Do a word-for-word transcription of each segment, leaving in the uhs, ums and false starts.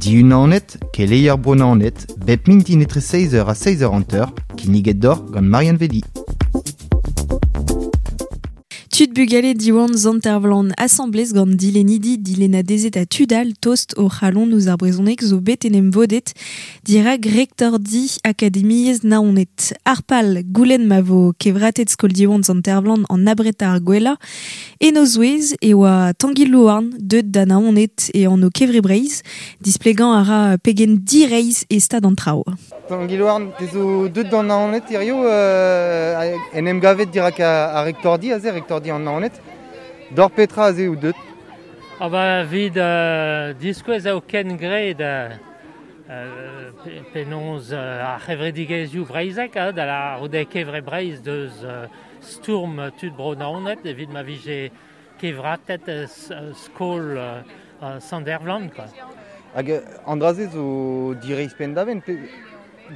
Diunanet, keleier Bro Naoned, bep mintin etre seizh eur ha seizh eur hanter, kinniget deoc'h gant Marianne Vedi. Tud bugale Diwan Sant-Ervlan asambles gant dilennidi dilennadezed ha tud all tost o c'halon ouzh ar brezhoneg zo bet en em vodet dirak rektordi Akademiezh Naoned. Ar pal goulenn ma vo kevratet skol Diwan Sant-Ervlan an abretañ ar gwellañ en o zouez e oa Tangi Louarn deut da Naoned e anv Kevre Breizh displegañ a ra pegen direizh e stad an traoù. Tangi Louarn, te zo deut d'an Naoned hirio euh, en em gavet dirak ar rektordi aze, rektordi an Naoned. D'or petra aze out deut? Ah ba evit euh, diskouez eo kengred euh, penaos euh, ar c'hevredigezhioù breizhek, hein, da la roude Kevre Breizh deus euh, stourm tud bro Naoned evit ma vije kevratet euh, skol euh, Sant-Ervlan, quoi. Hag an dra-se zo direizh penn-da-benn, pe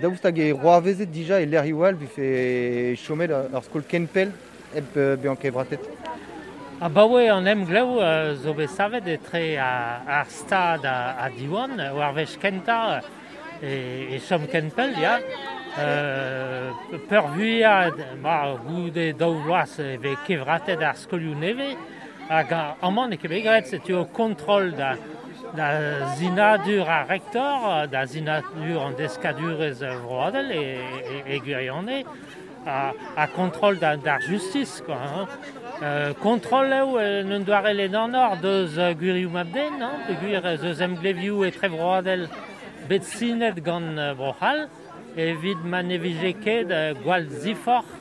daoust hag e c'hoarvezet dija e lec'hioù all vefe chomet ur skol ken pell hep bezañ kevratet? Abaoe an emglev euh, zo bet savet etre ar stad ha Diwan, war wech kentañ e, e chom ken pell, ya. Euh, peurvuiañ, ma goude daou vloaz e vez kevratet ar skolioù nevez, hag amañ n'eo ket bet graet, setu o kontrol da, da sinadur ar rektor, da sinadur an deskadurezh vroadel e, e, e gwirionez, a, a kontrol da, d'ar justice, quoi, hein. Euh, kontrol eo en un doare ledanoc'h deus gwirioù mab-den, hein, peogwir ez eus emglevioù etrevroadel bet sinet gant Bro-C'hall, evit ma ne vije ket gwall ziforc'h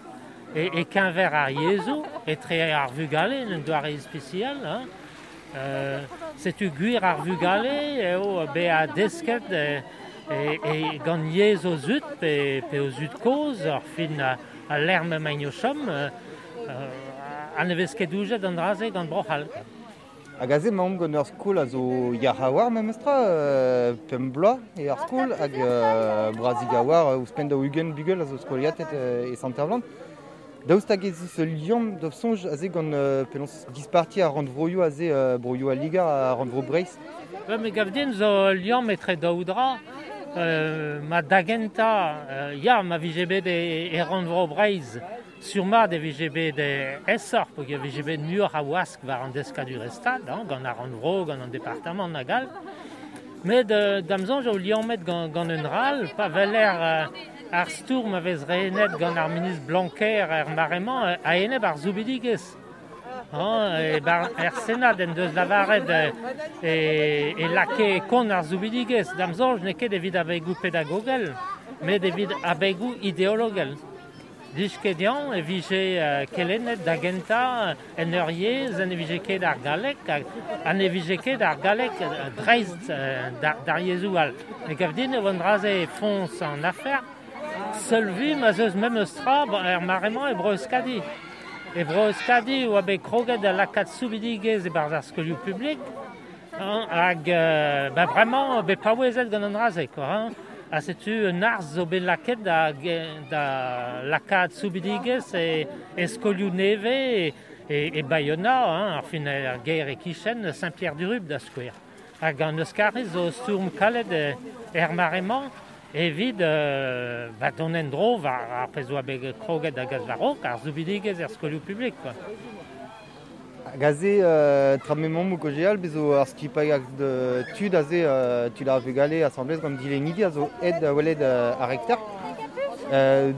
e, e keñver ar yezhoù, etre ar vugale en un doare ispisial, hein. Euh, setu gwir ar vugale eo bezañ desket e, e, e gant yezh o zud pe, pe o zud kozh, ar fin a lec'h m'emaint o chom, euh, ha ne vez ket doujet an dra-se gant Bro-C'hall. Hag aze emaomp gant ur skol a zo yac'h a-walc'h memestra, euh, pemp bloaz eo ar skol, hag euh, brazik a-walc'h ouzhpenn daou-ugent bugel a zo skoliatet euh, e Sant-Ervlan. Daoust hag ez eus ul liamm d'ho soñj aze gant euh, penaos disparti ar rannvroioù aze euh, broioù al Liger ha rannvro Breizh? Ba, me gav din zo ul liamm etre daou dra. Euh, ma da gentañ, euh, ya, ma vije bet e, e rannvro Breizh, sur-mat e vije bet aesoc'h, peogwir e vije bet muioc'h a wask war an deskadurezh stad, hein, gant ar rannvro, gant an departamant hag all. Met euh, da'm soñj eo liammet gant, gant un dra all, pa weler euh, ar stourm a vez renet gant ar ministr Blanquer er mare-mañ a-enep ar soubidigezh. Hein, e bar, er Senad en deus lavaret e, e lakae kont ar soubidigezh. Da'm soñj n'eo ket evit abegoù pedagogel, met evit abegoù ideologel. Dij ket dezhañ e vije kelennet da gentañ en ur yezh en e vije ket ar galleg ha ne vije ket ar galleg dreist d'ar yezhoù all. Me gav din eo an dra-se foñs an afer, seul vui ma 'z eus memes tra er mare-mañ e Bro-Euskadi. E Bro-Euskadi oa bet kroget da lakaat soubidigezh e-barzh ar skolioù publik, hein, hag euh, ba bremañ bet paouezet gant an dra-se, quoi, hein. Ha setu un arz zo bet lakaet da, da lakaat soubidigezh e, e skolioù nevez e, e, e Bayona, hein, ar fin ar gêr e-kichen Saint-Pierre-du-Rub da skouer. Hag an Euskariz zo stourm kalet er mare-mañ evit euh, ba dont en-dro war ar pezh oa bet kroget da gas war-raok, ar soubidigezh er skolioù publik, quoi. Hag aze, euh, tra m'emaomp o kaozeal, bez zo ar skipailh tud aze, euh, tud ar vugale asambles gant dilennidi a zo aet da welet euh, ar rektor. Euh,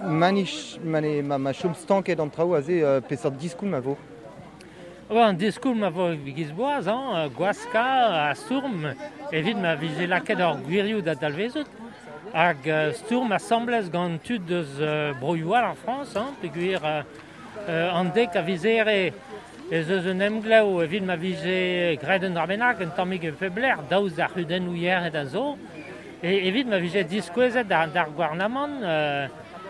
manich, mane, ma, ma chom stanket an traoù aze, euh, peseurt diskoulm a vo? Oa, an diskoulm a vo giz boaz, hein, gwaska ha stourm evit ma vije lakaet ar gwirioù da dalvezout. Hag stourm asambles gant tud deus euh, broioù all ar Frañs, hein, peogwir euh, an dek a viz here ez eus un emglev evit ma vije graet un dra bennak, un tammig e pep lec'h, daoust d'ar c'hudennoù yec'hed a zo, e evit ma vije diskouezet d'ar, d'ar gouarnamant euh,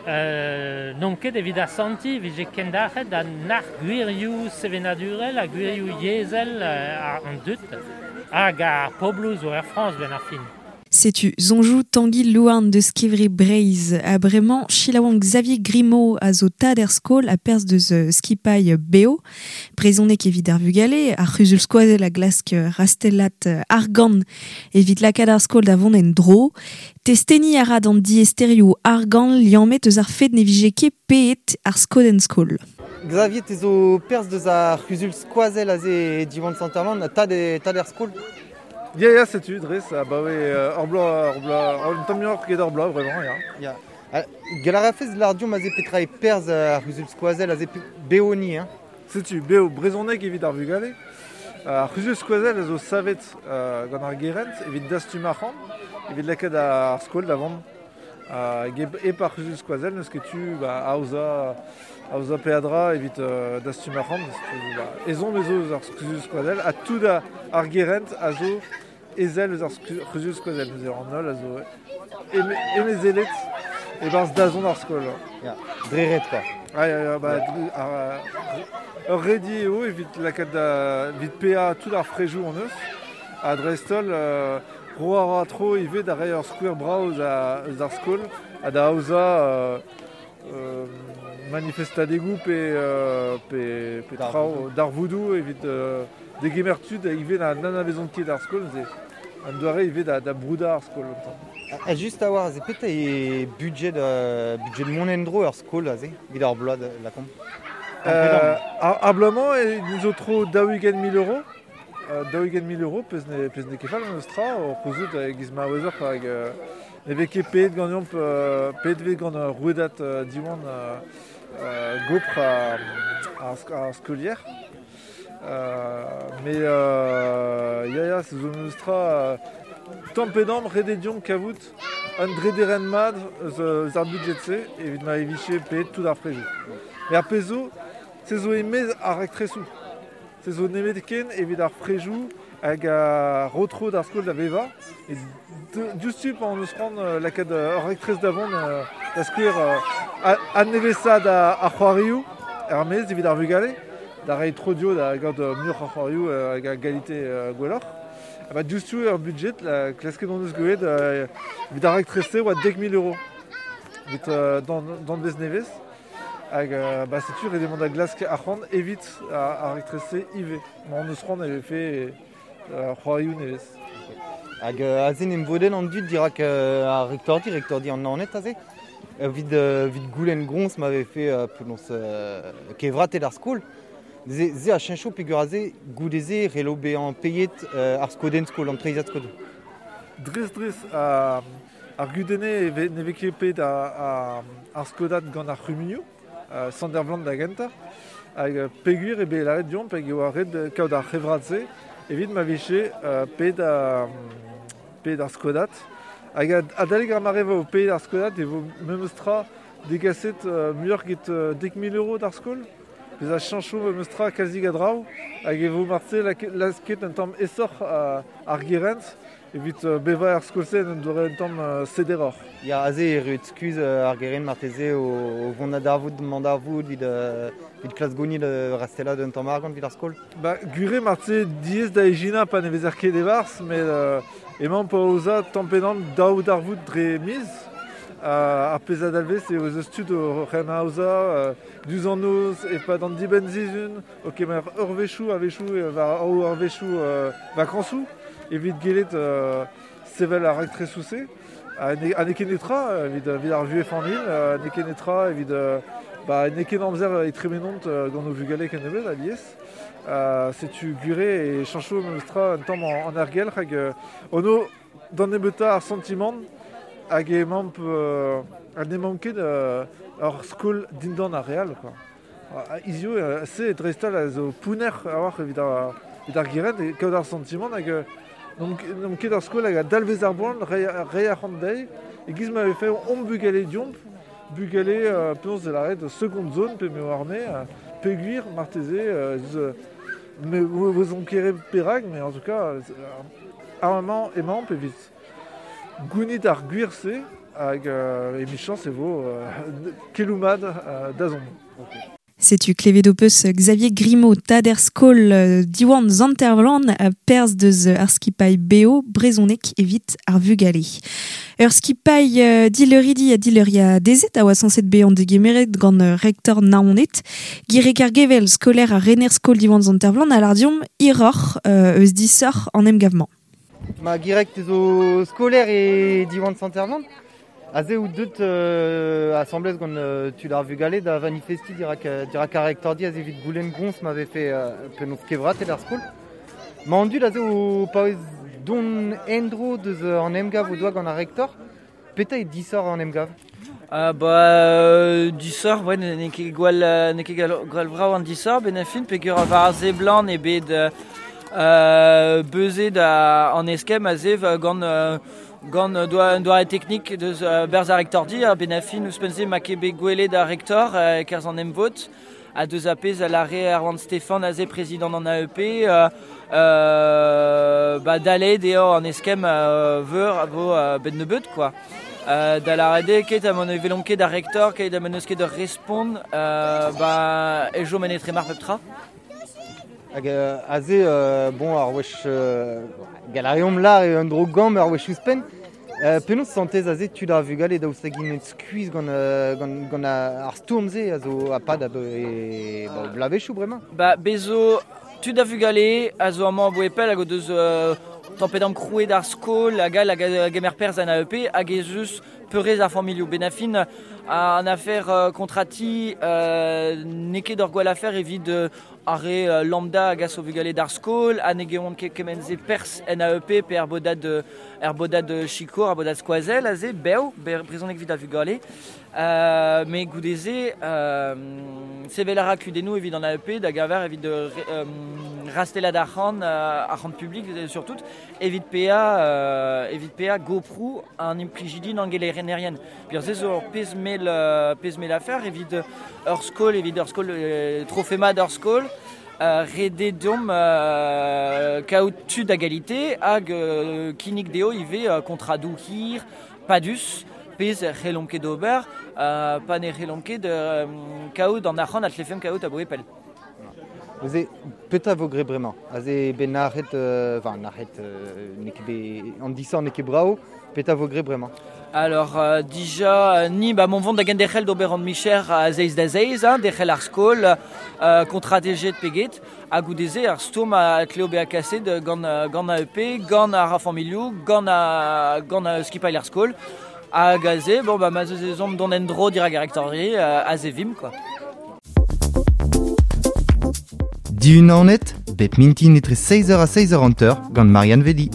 euh, n'omp ket evit asantiñ vije kendalc'het da nac'h gwirioù sevenadurel ha gwirioù yezhel euh, an dud hag ar pobloù zo er Frañs ben ar fin. Setu zonjou Tanguy Louarn deus Kevre Breizh a bremañ Chilaouan Xavier Grimaud a zo tad er skol a perz deus skipailh Beo. Brezhoneg evit ar vugale, ar c'huzul skoazell a glask rastellat argant evit lakaat ar skol da vont en dro. Testeni a ra d'an diaesterioù argant liammet eus ar fed ne vije ket paeet ar skodenn skol. Xavier, te zo perz deus ar c'huzul skoazell aze e Diwan Sant-Ervlan, tad, e, tad er skol? Ya, ya, setu, dres, ah, bah ouais, euh, ur bloaz, ur bloaz, un tamm muioc'h ket ur bloaz, vraiment, ya. Ya. Gell a rafez l'ardiom aze petra e perz ar c'huzul skoazell aze beoni, hein? Setu, beo brezhoneg evit ar vugale. Ar c'huzul skoazell a zo savet euh, gant ar gerent evit dastum arc'hant, evit lakaat ar skol da vont. Hag hep ar c'huzul skoazell n'eus ket tu ba, aozañ aozañ peadra evit euh, dastum arc'hant. Ba, ezhomm ez eus ar c'huzul skoazell ha tout ar gerent a zo ezel eus ar c'huzul skoazell. Neuze an holl a zo emezelet e-barzh dazont ar skol. Ya, dre ret quoi. Ah, ya, ya, ba, ar, ur redi eo evit lakaat da, evit paeañ tout ar frejoù hon eus. Ha dreist-holl, euh, ro a ra tro ivez da reiñ ur skouer brav eus eus ar skol ha da aozañ euh, euh, manifestadegoù pe, euh, pe, pe traoù darvoudoù evit euh, degemer tud ivez na n'anavezont ket ar skol, neuze an doare ivez da, da broudañ ar skol un tamm. Ha just a war, aze petra e budget, euh, budget mont en-dro ar skol aze, evit ar bloaz lakaomp? Euh, ar, ar bloaz-mañ e zo tro daou-ugent mil euros. Euh, daou-ugent mil euros, pezh ne, pezh ne ket fall an eus tra, o c'houzout e-giz ma ouezoc'h hag euh, ne vez ket paeet ganeomp, euh, paeet vez gant ur rouedad euh, Diwan euh, euh, gopr ar, ar, ar skolier. Euh, mais euh, ya ya, se zo meus tra euh, tamm pe damm ret eo deomp kavout un drederen mat eus, eus ar budget-se evit ma e vije paeet tout ar frejoù. Mais ar pezh zo, se zo e-maez ar raktresoù. Se zo nemet ken evit ar frejoù hag a rotro d'ar skol da vevañ. E diouzhtu pa hon eus c'hoant lakaat ur raktres da vont da skouer adnevesaat ar c'hoarioù er maez evit ar vugale, da reiñ tro dio da gaout muioc'h ar c'hoarioù hag a galite gwelloc'h. Ha ba diouzhtu ur budget, la klasket hon eus gwelet evit ar raktres-se oa dek mil euros. Evit danvez nevez. Hag euh, ba setu ret eo mont da glask arc'hant evit ar raktres-se ivez. Ma hon eus c'hoant e vefe euh, c'hoarioù nevez. Hag euh, aze n'em vodenn an dud dirak euh, ar rektordi, rektordi an Naoned aze. Evit, euh, evit goulenn groñs ma vefe euh, penaos euh, kevratet ar skol. Ze, ze a cheñcho peogwir aze goude-se c'hello bezañ paeet euh, ar skodenn skol, an treizhad skol. Dres dres a, ar gudenne e ve, ne vez ket paeet ar, ar skodad gant ar c'humunioù, euh, Sant-Ervlan da gentañ. Hag peogwir eo bet lâret deomp hag e oa ret kaout ar c'hevrat-se evit ma vije euh, paeet ar, paeet ar skodad. Hag adalek ar mare vo paeet ar skodad e vo memes tra degaset euh, muioc'h get euh, dek mil euros d'ar skol. Pezh a cheñcho memes tra kalzik a draoù hag e vo marteze lasket un tamm aesoc'h ar gerent evit bevañ ar skol-se en doare un tamm sederoc'h. Ya, aze e roet skuz ar gerent marteze o, o vont da darvoud, mont darvoud evit, evit klas gonid rastellat un tamm argant evit ar skol? Ba, gwir eo marteze diaes da ijinañ pa ne vezer ket e-barzh, met euh, emañ pa aozañ tamm pe damm daou darvoud dre miz. Uh, ar pezh a dalvez eo eus tud o c'hemm aozañ euh, diouzh an noz e-pad an dibenn-sizhun, o kemer ur wechoù a-wechoù war ur wechoù euh, vakañsoù evit gellet euh, sevel ar raktresoù-se. Ha ne, ha n'eo ket netra evit, evit ar vuhez familh, euh, n'eo ket netra evit euh, ba, n'eo ket amzer e tremenont euh, gant o vugale kennebeut alies. Euh, setu gwir eo e cheñcho memes tra un tamm an, an aergelc'h hag euh, ono d'an nebeutañ ar santimant hag emaomp euh, ha n'emaomp ket euh, ur skol dindan ar re all, quoi. Hiziv, euh, se dreist-holl a zo pounner a-walc'h evit ar, evit ar gerent e kaout ar santimant hag euh, n'omp ket ar skol hag a dalvez ar boan reiñ arc'hant dezhi e-giz ma vefe omp bugale deomp, bugale euh, penaos de lâret seconde zone pe m'eo arme, euh, peogwir marteze euh, eus, me vezomp ket perak, mais en tout cas euh, ar mañ emaomp evit gounit ar gwir-se hag euh, emichañs e vo euh, keloù mat euh, dazont. Okay. Setu klevet ho peus Xavier Grimaud, tad er skol Diwan Sant-Ervlan a perz deus ar skipailh beo brezhonek evit ar vugale. Ur skipailh uh, dileuridi ha dileuria dezet a oa sañset bezañ degemeret gant rektor Naoned. Girek ar Gevel, skolaer ha rener skol Diwan Sant-Ervlan a lar deomp hiroc'h euh, eus disoc'h an emgav-mañ. Ma Girek te zo skolaer e Diwan Sant-Ervlan. Aze ou deut euh, assemblez gant euh, tud ar vugale da manifesti dirak, dirak ar rektordi aze evit goulenn groñs m'avait fait euh, penaos kevrat el ar skol. Ma an dud aze o paouez don endro deus an emgav o doa gant ar rektor. Petra e disoc'h an emgav? Euh, bah, euh, disoc'h, ouais, n'eo ket gwall, n'eo ket gwall brav an disoc'h, ben a fin peogwir war ar seblant eo bet euh, beuzet an eskemm aze gant euh, gant doa un doare teknik deus uh, berzh ar rektordi, ar ben a fin ouzhpenn-se ma ket bet gwelet ar rektor uh, kerzh an emvod, a deus a pezh a lare Erwan Stefan aze prezidant an A E P, euh, euh, ba dalet eo an eskemm euh, veur a vo euh, ben nebeut quoi. Euh, da lâret eo ket a mon velomp ket ar rektor, ket a mon eus ket ur respont, euh, ba e jo men etre mar pep tra. Hag euh, aze, euh, bon, ar wech euh, galariomp lar e un dro gamm ar wech ouzhpenn. Euh, penaos santez aze tud ar vugale daoust hag int skuizh gant, euh, gant, gant ar stourm-se a zo a pad a e, ba, bloavezhioù bremañ? Ba, bezo tud a vugale a zo amañ aboe pell hag o deus euh, tampet am krouet ar skol hag all hag a gemer perzh an A E P hag ez eus peurrez ar familhoù ben a fin an afer euh, kontrati euh, n'eo ket ur gwall afer evit euh, ar re euh, lambda hag a zo vugale d'ar skol ha ne geont ket kement-se perzh en A E P pe er bodad, er bodad sikour, ar bodad skoazell aze, bev, brezhoneg evit ar vugale. Euh, met goude-se, euh, sevel a ra kudennoù evit an A E P da gaver evit euh, rastellat arc'hant, euh, arc'hant publik surtout, evit paeañ, euh, evit paeañ goproù an implijidi n'angelerien. Peogwir se zo ur pezh mell, euh, pezh mell afer evit ur skol, evit ur skol, euh, trofemat ur skol, euh, rede deomp euh, kaout tud a galite hag euh, kinnig dezho ivez euh, kontradoù hir, padus, pezh c'hellomp ket ober, euh, pa ne c'hellomp ket euh, kaout an arc'hant a tlefemp kaout aboe pell. Neuze, petra vo gre bremañ? Aze ben nac'het, euh, enfin nac'het, euh, n'eo ket bet, an disoc'h n'eo ket brav, petra vo gre bremañ? Alors, euh, dija, ni, ba, mon vont da genderc'hel d'ober an micher a zeiz da zeiz, hein, derc'hel ar skol, euh, kontratejet peget, ha goude-se ar stourm a tleo bezañ kaset gant, gant A E P, gant ar familhoù, gant a, gant a skipailh ar skol, hag aze, bon, ba, ma zeus ezhomm dont en-dro dirak ar rektordi, euh, aze vimp, quoi. Dihun Naoned, bep mintin etre seizh eur ha seizh eur hanter gant Marianne Vedi.